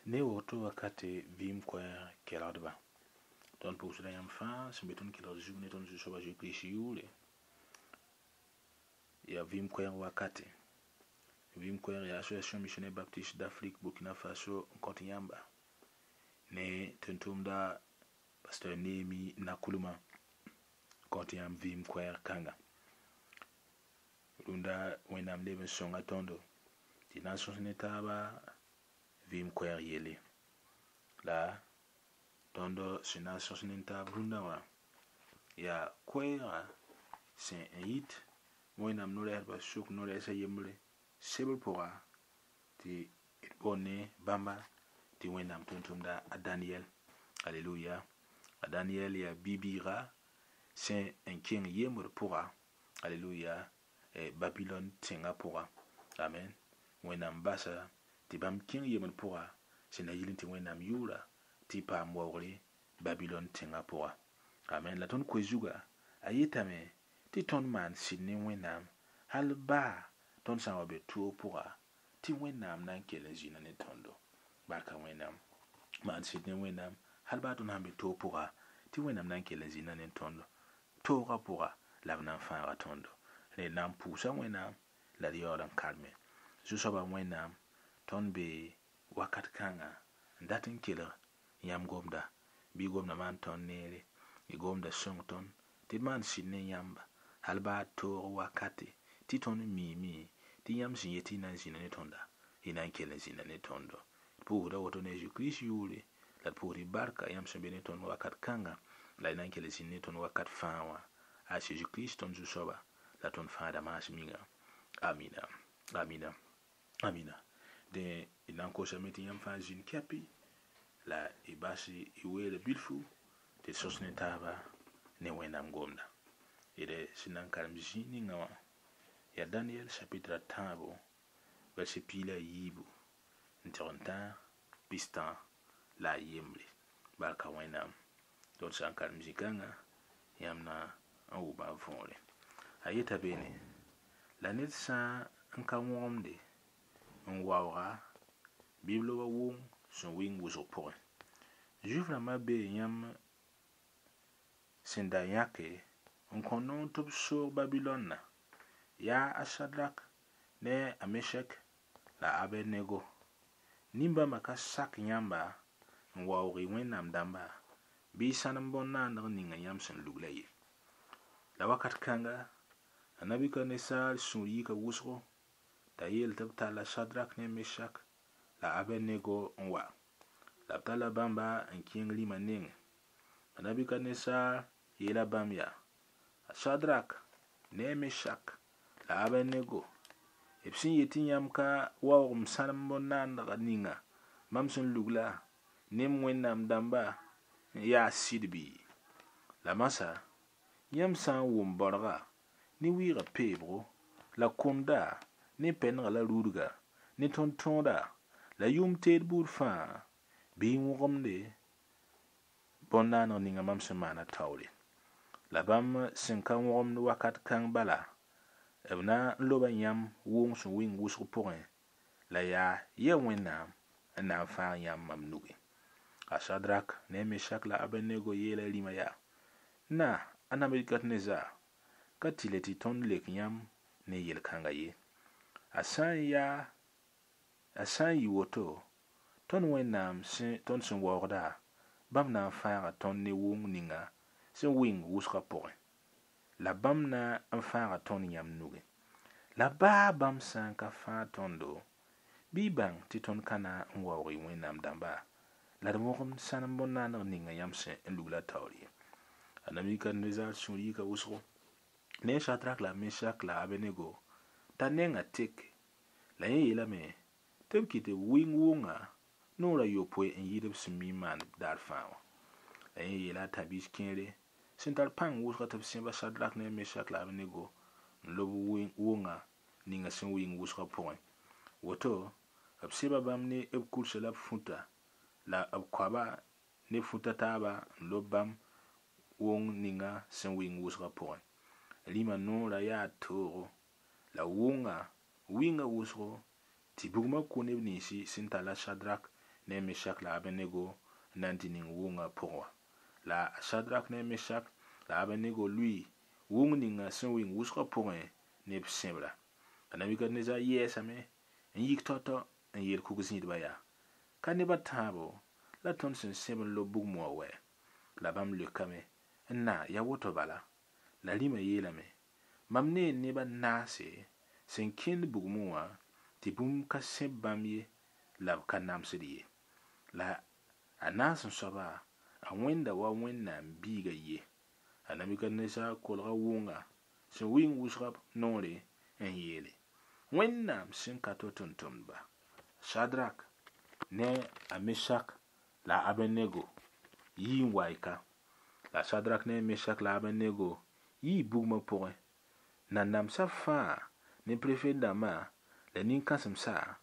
Ne woto wakate vɩɩm koɛɛg kelgdba, tõnd pʋʋsda yãmb fãa sẽn be tõnd kelgd zug ne tõnd Zu-soaba Zeezi-Kirist yʋʋre. Yaa vɩɩm koɛɛg wakate. Vɩɩm koɛɛg yaa Association Missionnaire Baptiste d'Afrique Burkina Faso n kõt yãmba ne tʋm-tʋmda Pasteur Néhémie Nakoulma kõt yãmb vɩɩm koɛɛg kãnga. Rũndã Wẽnnaam leb n sõnga tõndo tɩ na n sõs ne taaba vɩɩm koɛɛg yelle. La tõnd sẽn na n sõs ne taab rũndã wã yaa koɛɛga sẽn n yit Wẽnnaam no-rɛɛsdbã sʋk no-rɛɛsã yembre sebr pʋga tɩ d boond ne bãmba tɩ Wẽnnaam tʋm-tʋmda a Daniel. Aleluya. A Daniel yaa bi-bɩɩga sẽn n kẽng yembr pʋga. Aleluya. Babilon tẽngã pʋga. Amen. Wẽnnaam basa tɩ bãmb kẽng yembr pʋga sẽn na yɩl tɩ Wẽnnaam yʋʋra tɩ paam waoogre Babilon tẽngã pʋga. Amen. La tõnd koe zuga a yetame tɩ tõnd maan sɩd ne Wẽnnaam hal baa tõnd sã n wa be toog pʋga tɩ Wẽnnaam na n kell n zĩna ne tõndo. Barka Wẽnnaam. Maan sɩd ne Wẽnnaam hal baa tõnd sãn be toog pʋga tɩ Wẽnnaam na n kell n zĩna ne tõndo. Toogã pʋga la b na n fãaga tõndo. Rẽ na n pʋʋsa Wẽnnaam la d yaool n karme. Zu-soabã Wẽnnaam tõnd be wakat kãnga n dat n kelg yãmb gomda bɩ gomda maan tõnd neere, y gomda sõng tõnd tɩ d maan sɩd ne yãmba hal baa toog wakate tɩ tõnd miime tɩ yãmb sẽn yet tɩ y na n zĩna ne tõnda y na n kell n zĩna ne tõndo. D pʋʋsda woto ne a Zeezi-Kirist yʋʋre la d pʋʋsd y barka yãmb sẽn be ne tõnd wakat kãnga la y na n kell n zĩnd ne tõnd wakat fãa wã. A Zeezi-Kirist tõnd Zu-soaba la tõnd fãada maas minga. Amina. Amina. Amina. Dẽ d na n kosame tɩ yãmb fãa zĩnd kɛpɩ la y bas y weere bilfu tɩ d sõs ne taaba ne Wẽnnaam gomda. D sẽn na n karem zĩig ninga wã yaa Daniel chapitre a tãabo verset 13 n tɩg n tã pistã la a yembre. Barka Wẽnnaam. Tõnd sã n karem zĩ-kãngã yãmb na n wʋma a võore. A yeta beene la ned sã n ka wõgemde n waooga bɩ b loba wʋng sẽn wɩng wʋsg pʋgẽ. Zuif rãmbã bee yãmb sẽn da yãke n kõ noor tɩ b soog Babilɔnna yaa a Sadrak ne a Meshek la a Abednego. Nin-bãmbã ka sak yãmba n waoog y Wẽnnaam dãmba bɩ y sãnem bõn-naandg ninga yãmb sẽn lugla ye. La wakat kãnga a Nabukadnetsar sũur yika wʋsgo t'a yeel tɩ b talla Sadrak ne Meshak la Abednego n wa. La b talla bãmba n kẽng rĩmã nengẽ. A Nabukadnetsar yeela bãmb yaa: A Sadrak ne a Meshak la Abednego, b sẽn yet tɩ yãmb ka waoog m sãnem bõn-naandg ninga mam sẽn lugla ne m Wẽnnaam dãmba n yaa sɩd bɩ? La masã yãmb sã n wʋm baorga ne wɩɩgã peebgo la kũnda ne pɛnega la rudga ne tõnd-tõoda la yʋʋm teed buud fãa bɩ y wõgemde bõn-naaneg ninga mam sẽn maana taoore. La bãmb sẽn ka wõgemd wakat kãng bala b na n loba yãmb wʋng sẽn wɩng wʋsg pʋgẽ la yaa ya Wẽnnaam n na n fãag yãmb mam nugẽ. A Sadrak ne a Meshak la Abednego yeela rĩmã yaa: Na, a Nabukadnezar, ka tɩlɛ tɩ tõnd lek yãmb ne yel-kãnga ye. A sã n yɩ woto, tõnd Wẽnnaam tõnd sẽn waoogda, bãmb na n fãaga tõnd ne wʋng ninga sẽn wɩng wʋsgã pʋgẽ. La bãmb na n fãaga tõnd yãmb nugẽ. La baa bãmb sã n ka fãag tõndo, bɩ y bãng tɩ tõnd ka na n waoog y Wẽnnaam dãmba la d wõgemd sãnem bõn-naaneg ninga yãmb sẽn n lugla taoor ye. A Nabukadnezar sũur yika wʋsgo ne Sadrak la Meshak la Abednego t'a nengã tek la yẽ yeelame tɩ b kɩt b wɩng wʋnga noor a yopoe n yɩɩd b sẽn mi n maan daar fãa wã. La yẽ yeela a tãb-biis kẽere sẽn tar pãng wʋsga tɩ b sẽba Sadrak ne Meshak la Abednego n lob wʋnga ninga sẽn wɩng wʋsgã pʋgẽ. Woto b sẽba bãmb ne b kursa la b futa la b koaba ne futa taaba n lob bãmb wʋng ninga sẽn wɩng wʋsgã pʋgẽ. Rĩmã noorã yaa toogo la wʋnga wɩnga wʋsgo tɩ bugmã kʋ neb ninsi sẽn talla Sadrak ne a Meshak la a Abednego n na n tɩ ning wʋngã pʋgẽ wã. La a Shadrak ne a Meshak la a Abednego lʋɩ wʋng ninga sẽn wɩng wʋsgã pʋgẽ ne b sẽbra. La Nabukadnezar yɛɛsame n yik tao-tao n yeel kug-zĩidbã yaa: Ka neb a tãabo la tõnd sẽn sẽb n lob bugmã wã wɛ? La bãmb leokame n na yaa woto bala. La rĩmã yeelame: Mam nee neb a naase sẽn kẽnd bugmẽ wã tɩ bũmb ka sẽb bãmb ye la b ka namsd ye. La a naas n soaba, a wẽnda wa Wẽnnaam biiga ye. A Nabukadnezar kolga wʋnga sẽn wɩng wʋsga noore n yeele: Wẽnnaam sẽn ka to tʋmtʋmdba, Shadrak ne a Meshak la a Abednego yii n wa y ka. La Shadrak ne a Meshak la a Abednego yii bugmã pʋgẽ. Nanamsã fãa ne prefet dãmbã la nin-kãsemsa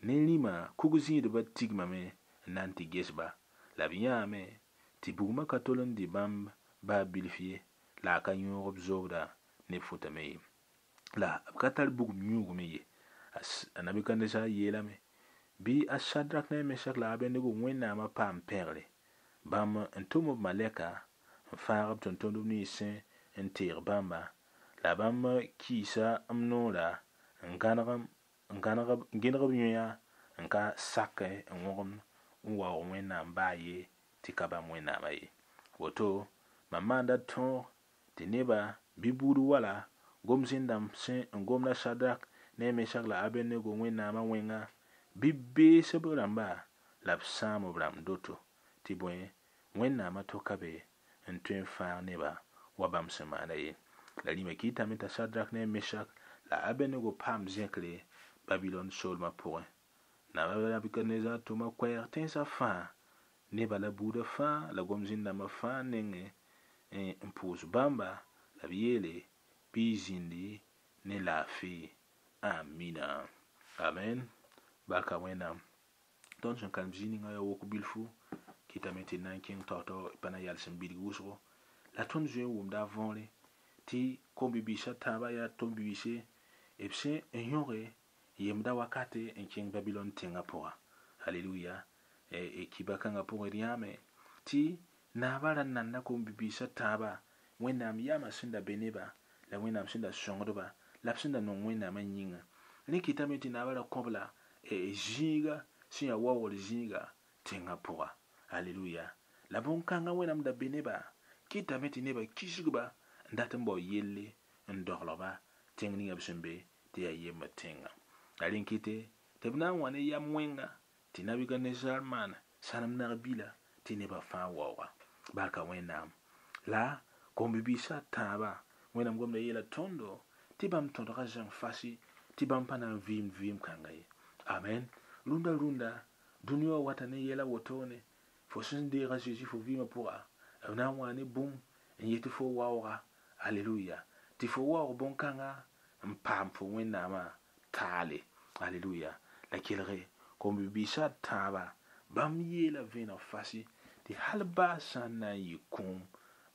ne rĩmã kug-zĩidbã tigmame n na n tɩ ges-ba. La b yãame tɩ bugmã ka tol n dɩ bãmb baa bilf ye, la a ka yõog b zoobda ne b fotame ye. La b ka tar bugum yũug me ye. A Nabukadnezar yeelame: Bɩ a Shadrak ne a Meshak la a Abednego Wẽnnaamã paam pẽgre. Bãmb n tʋm b malɛka n fãag b tʋmtʋmdb nins sẽn n teeg bãmba. La bãmb kiisa m noora n gẽneg b yõa n ka sak n wõgemd n waoog Wẽnnaam baa ye tɩ ka bãmb Wẽnnaamã ye. Woto mam maanda tõog tɩ neba bɩ buud wala gom-zẽn-dãmb sẽn n gomda Shadrak ne a Meshak la a Abednego Wẽnnaamã wẽnga bɩ bees b rãmba la b sãam b rãmb doto tɩ bõe Wẽnnaamã toka be n tõe n fãag neba wa bãmb sẽn maanda ye. La rĩmã kɩtame t'a Shadrak ne a Meshak la a Abednego paam zẽkre Babilon soolmã pʋgẽ. Nabukadnezar tʋma koɛɛg tẽnsã fãa neba la buudã fãa la gom-zĩn-dãmbã fãa nengẽ n pʋʋs bãmba la b yeele bɩ y zĩndi ne laafɩ. Amina. Amen. Barka Wẽnnaam. Tõnd sẽn karem zĩig ninga yaa wok bilfu kɩtame tɩ d na n kẽng tao-tao pa na yals n bilg wʋsgo. La tõnd zoe n wʋmda a võore tɩ kom-bi-biisã tãabã yaa tõnd-biise b sẽn n yõge yemda wakate n kẽng Babilon tẽngã pʋga. Halleluya. Kiba kãngã pʋgẽ d yãame tɩ naabã ra nanda kom-bi-biisã tãabã Wẽnnaam yamã sẽn da be neba la Wẽnnaam sẽn da sõngdba la b sẽn da nong Wẽnnaamã yĩnga. Rẽ kɩtame tɩ naabã ra kõb la zĩiga sẽn yaa waoogr zĩiga tẽngã pʋga. Halleluya. La bõn-kãngã Wẽnnaam da be neba kɩtame tɩ nebã kisgba n dat n bao yelle n doglg-ba tẽng ninga b sẽn be tɩ yaa yembd tẽngã. La rẽ kɩte tɩ b na n wa ne yam wẽnga tɩ Nabukadnezar maan sãnem nag-bila tɩ nebã fãa waooga. Barka Wẽnnaam. La kom-bi-biisã tãabã Wẽnnaam gomda yeela tõndo tɩ bãmb tõdga zãng fasi tɩ bãmb pa na n vɩɩmd vɩɩm kãnga ye. Amen. Rũndã rũndã dũni wã wata ne yɛla wotone fo sẽn deeg a Zeezi fo vɩɩmã pʋga b na n wa ne bũmb n yetɩ fo waooga. Alleluya. Tɩ fo waoog bõn-kãngã n paam fo Wẽnnaamã taale. Alleluya. La kelge kom-bi-biisã tãabã bãmb yeela vẽeneg fasi tɩ hal baa sã n na n yɩ kũum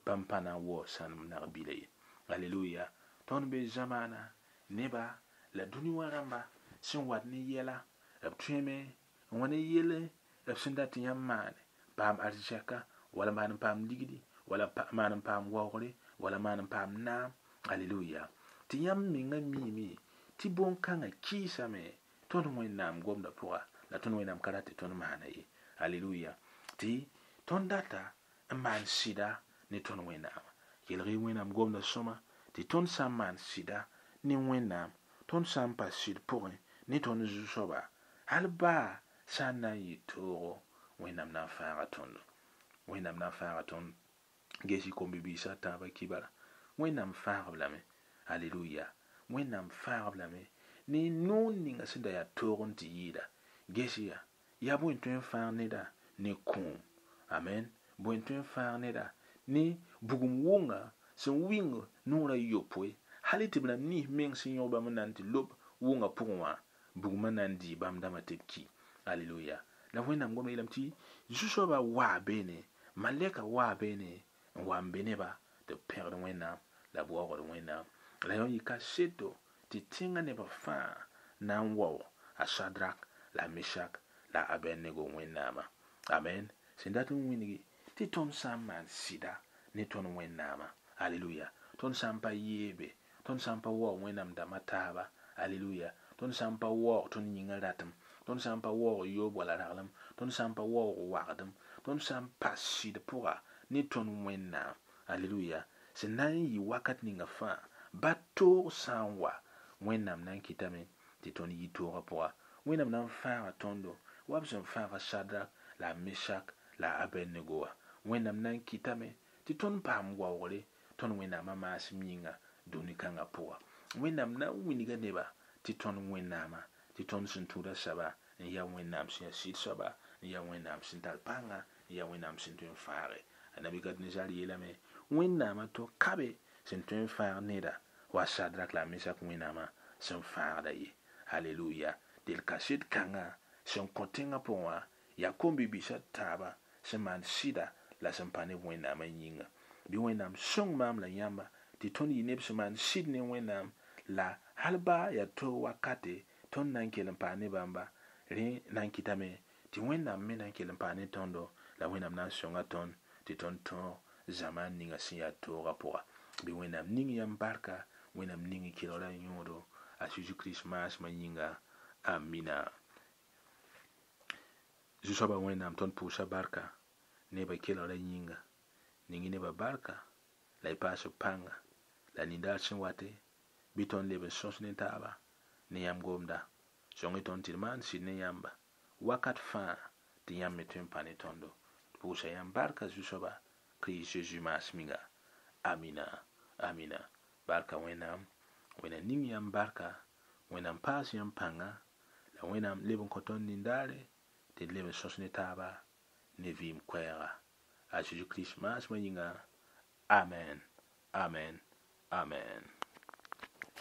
bãmb pa na n waoog sãnem nag-bila ye. Alleluya. Tõnd be zamaana neba la dũni wã rãmba sẽn wat ne yɛla b tõeme n wa ne yelle b sẽn dat tɩ yãmb maane paam arzɛka wala maan n paam ligdi wala maan n paam waoogre wala maan n paam naam. Alleluya. Tɩ yãmb mengã miime tɩ bõn-kãngã kɩɩsame tõnd Wẽnnaam gomdã pʋga la tõnd Wẽnnaam ka rat tɩ tõnd maana ye. Alleluya. Tɩ tõnd data n maan sɩda ne tõnd Wẽnnaama. Kelg-y Wẽnnaam gomdã sõma tɩ tõnd sã n maan sɩda ne Wẽnnaam tõnd sã n pa sɩd pʋgẽ ne tõnd zu-soaba hal baa sã n na n yɩ toogo Wẽnnaam na n fãaga tõndo. Wẽnnaam na n fãaga tõnd ges-y kom-bi-biisã tãabã kibara. Wẽnnaam fãag-b lame. Alleluya. Wẽnnaam fãag-b lame ne noor ninga sẽn da yaa toog n tɩ yɩɩda. Ges yaa, yaa bõe n tõe n fãag neda ne kũum. Amen. Bõe n tõe n fãag neda ne bugum wʋnga sẽn wɩng noorã yopoe hal tɩ b rãmb nins meng sẽn yõg bãmb n na n tɩ lob wʋngã pʋgẽ wã bugmã na n dɩɩ bãmb dãmbã tɩ b ki. Alleluya. La Wẽnnaam gomda yeelame tɩ zu-soabã waa beene, malɛka waa beene n wa n be neba tɩ b pẽgd Wẽnnaam la b waoogd Wẽnnaam. La yõ yɩ kaseto tɩ tẽngã nebã fãa na n wao a Shadrak la a Meshak la a Abednego Wẽnnaamã. Amen. Sẽn dat n wĩngi tɩ tõnd sã n maan sɩda ne tõnd Wẽnnaamã. Aleluya. Tõnd sã n pa yeebe, tõnd sã n pa waoog Wẽnnaam dãmbã taaba. Aleluya. Tõnd sã n pa waoog tõnd yĩngã ratem, tõnd sã n pa waoog yoob wala raglem, tõnd sã n pa waoog wagdem, tõnd sã n pa sɩd pʋga ne tõnd Wẽnnaam. Aleluya. Sẽn na n yɩ wakat ninga fãa, ba toog sã n wa, Wẽnnaam na n kɩtame tɩ tõnd yi toogã pʋga. Wẽnnaam na n fãaga tõndo wa b sẽn fãaga Sadrak la a Mesak la a Abednego wã. Wẽnnaam na n kɩtame tɩ tõnd paam waoogre tõnd Wẽnnaamã maasem yĩnga dũni kãngã pʋga. Wẽnnaam na n wilga neba tɩ tõnd Wẽnnaamã, tɩ tõnd sẽn tũud a soaba n yaa Wẽnnaam sẽn yaa sɩd soaba, n yaa Wẽnnaam sẽn tar pãnga, n yaa Wẽnnaam sẽn tõe n fãage. A Nabukadnezar yeelame, Wẽnnaamã to ka be sẽn tõe n fãag neda wa Sadrak la a Mesak Wẽnnaamã sẽn fãagda ye. Aleluya! Del kaset kãngã sẽn kõ tẽngã pʋgẽ wã yaa kom-bi-biisã taaba sẽn maan sɩda la sẽn pa ne Wẽnnaamã yĩnga. Bɩ Wẽnnaam sõng maam la yãmba tɩ tõnd yɩ neb sẽn maan sɩd ne Wẽnnaam la hal baa yaa toog wakate tõnd na n kell n paa ne bãmba, rẽ na n kɩtame tɩ Wẽnnaam me na n kell n paa ne tõndo la Wẽnnaam na n sõnga tõnd tɩ tõnd tõog zamaan ninga sẽn yaa toogã pʋga. Bɩ Wẽnnaam ning yãmb barka, Wẽnnaam ning y kelgrã yõodo a Zeezi Kirist maasmã yĩnga. Amina. Zu-soabã Wẽnnaam tõnd pʋʋsa barka nebã kelgrã yĩnga. Ning y nebã barka la y paas b pãnga la nindaar sẽn wate bɩ tõnd leb n sõs ne taaba ne yãmb gomda. Sõng-y tõnd tɩ d maan sɩd ne yãmba wakat fãa tɩ yãmb me tõe n pa ne tõndo. D pʋʋsa yãmb barka Zu-soaba Kirist Zeezi maasem-yĩnga. Amina. Amina. Barka Wẽnnaam. Wẽnnaam ning yãmb barka. Wẽnnaam paas yãmb pãnga la Wẽnnaam leb n kõ tõnd nindaare tɩ d leb n sõs ne taaba ne vɩɩm koɛɛga. A Zeezi Kirist maasmã yĩnga. Amen. Amen. Amen.